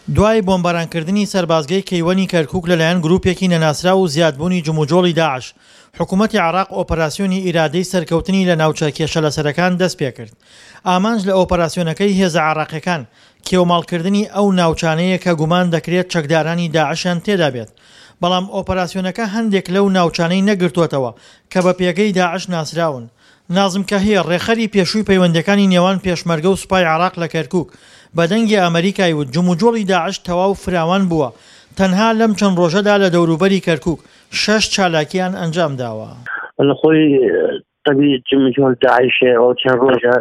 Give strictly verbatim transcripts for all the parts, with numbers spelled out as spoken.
دوای بۆمبارانکردنی سەربازگەی کەیوەنی کەرکوک لەلایەن گروپێکی نەناسراو و زیادبوونی جموجۆڵی داعش، حکومەتی عێراق ئۆپەراسیۆنی ئیرادەی سەرکەوتنی لە ناوچە کێشەلەسەرەکان دەستپێکرد. ئامانج لە ئۆپەراسیۆنەکەی هێزە عێراقیەکان، کێوماڵکردنی ئەو ناوچانەیە کە گومان دەکرێت چەکدارانی داعشیان تێدا بێت. بەڵام ئۆپەراسیۆنەکە هەندێک لەو ناوچانەی نەگرتووەتەوە کە بە پێگەی داعش ناسراون. نازم کەهیر، ڕێکخەری پێشووی پەیوەندییەکانی نێوان پێشمەرگە و سوپای عێراق لە کەرکوک، بە دەنگی ئەمەریکای وت جموجۆڵی داعش تەواو فراوان بووە، تەنها لەم چەند ڕۆژەدا لە دەوروبەری کەرکوک شەش چالاکییان ئەنجامداوە. لە خۆی تەبی جموجۆڵ داعش ئەو چەند ڕۆژە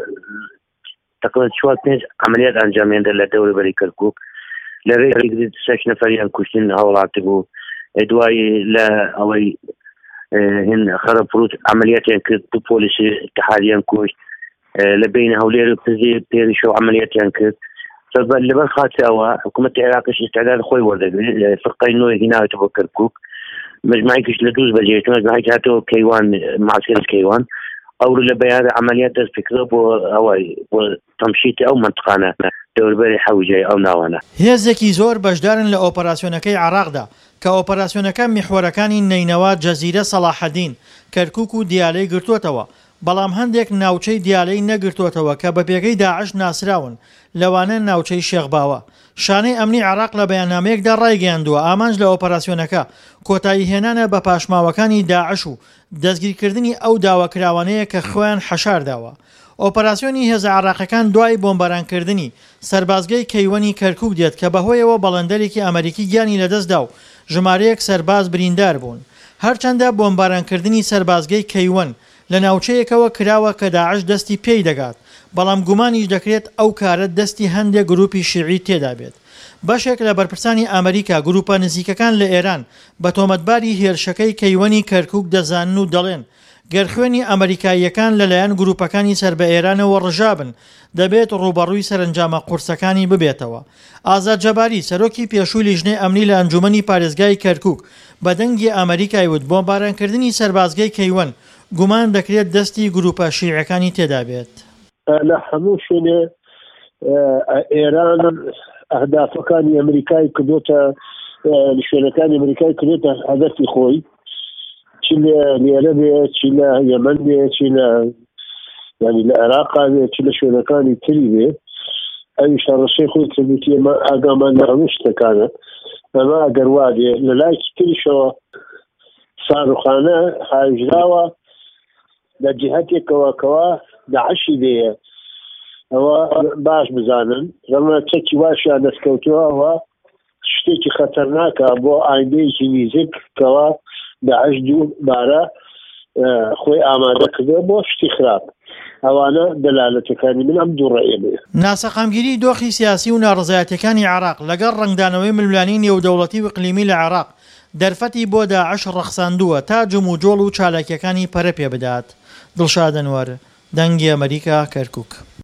تقریبا چوار پێنج عملیات ئەنجامیاندا لە دەوروبەری کەرکوک، لە ڕێی شەش نەفەریان کوشتن هاوڵاتی بوو، دوای لە ئەوەی هن خەرەپروت عملیاتیان کرد، دوو پۆلیسی اتحادیان کوشت، لە بین هەولێر و پزی پێریشەوە عملیاتیان کرد. لەبەر خاطر ئەوە حکوومەتی عێراقیش ئیستعداد خۆی وەردەگرێت، فرقەی نوێ هیناوێتە بۆ کەرکوک، مجموعێکیش لە دووز بەجێهێشتووە، مجموعێک هاتەوە کەیوان، معسکەری کەیوان. ئەو لە بەیانە عملیات دەست پێکردەوە بۆ ئەوەی بۆ تەمشیتی ئەو منطقانە دەوربەری حەوجەی ئەو ناوانە. هێزێکی زۆر بەشدارن لە ئۆپەراسیۆنەکەی عێراقدا کە ئۆپەراسیۆنەکە میحوەرەکانی نەینەوا، جەزیرە، سەڵاحەدین، کەرکوک و دیالەی گرتووەتەوە، بەڵام هەندێک ناوچەی دیالەی نەگرتووەتەوە کە بە پێگەی داعش ناسراون، لەوانە ناوچەی شێخ باوە. شانەی ئەمنی عێراق لە بەیاننامەیەکدا ڕایگەیاندووە ئامانج لە ئۆپەراسیۆنەکە کۆتایی هێنانە بە پاشماوەکانی داعش و دەستگیرکردنی ئەو داواکراوانەیە کە خۆیان حەشارداوە. ئۆپەراسیۆنی هێزە عێراقیەکان دوای بۆمبارانکردنی سەربازگەی کەیوەنی کەرکوک دێت کە بەهۆیەوە بەڵێندەرێکی ئەمریکی گیانی لەدەستدا و ژمارەیەک سەرباز بریندار بوون. هەرچەندە بۆمبارانکردنی سەربازگەی کەیوەن لە ناوچەیەکەوە کراوە کە داعش دەستی پێی دەگات، بەڵام گومانیش دەکرێت ئەو کارە دەستی هەندێک گروپی شیعی تێدا بێت. بەشێک لە بەرپرسانی ئەمریکا گروپە نزیکەکان لە ئێران بە تۆمەتباری هێرشەکەی کەیوەنی کەرکوک دەزانن و دەڵێن گەر خوێنی ئەمریکاییەکان لەلایەن گروپەکانی سەر بە ئێرانەوە ڕژابن دەبێت ڕووبەڕووی سەرەنجامە قورسەکانی ببێتەوە. ئازاد جەباری، سەرۆکی پێشووی لیژنەی ئەمنی لە ئەنجومەنی پارێزگای کەرکوک، بە دەنگی ئەمریکای وت بۆمبارانکردنی سەربازگەی کەیوەن گومان دەکرێت دەستی گروپە شیعەکانی تێدا بێت. لە هەموو شوێنێ ئێران ئەهدافەکانی ئەمریکای کردوتە، شوێنەکانی ئەمریکای کردوتە هەدەفی خۆی، چی لە لێرە بێ، چی لە یەمەن بێ، چی لە یعنی لە عێراقا بێ، چی لە شوێنەکانی تری بێ. ئەویش هەڕەشەی خۆی کردووتی ئێمە ئاگامان لە هەموو شتەکانە. ئەمە ئەگەر وا بێ لە لایەکی تریشەوە ساروخانە هاویژراوە لە جیهەتێکەوە کەوا داعشی لێیە، ئەوە باش بزانن ڕەمە چەکی واشیان دەستکەوتووە، ئەوە شتێکی خەتەرناکە بۆ ئایندەیەکی نزیک کەوا داعش دووبارە خۆی ئامادە کردووە بۆ شتی خراپ. ئەوانە دەلالەتەکانی من ئەم دوو ڕێیە بێ. ناسەقامگیری دۆخی سیاسی و ناڕەزایەتیەکانی عێراق لەگەڵ ڕەنگدانەوەی ململانێی نێودەوڵەتی و ئیقلیمی لە عێراق دەرفەتی بۆ داعش ڕەخساندووە تا جموجۆڵ و چالاکیەکانی پەرە پێ بدات. دڵشاد ئەنوەر، دەنگی ئەمەریکا، کەرکوک.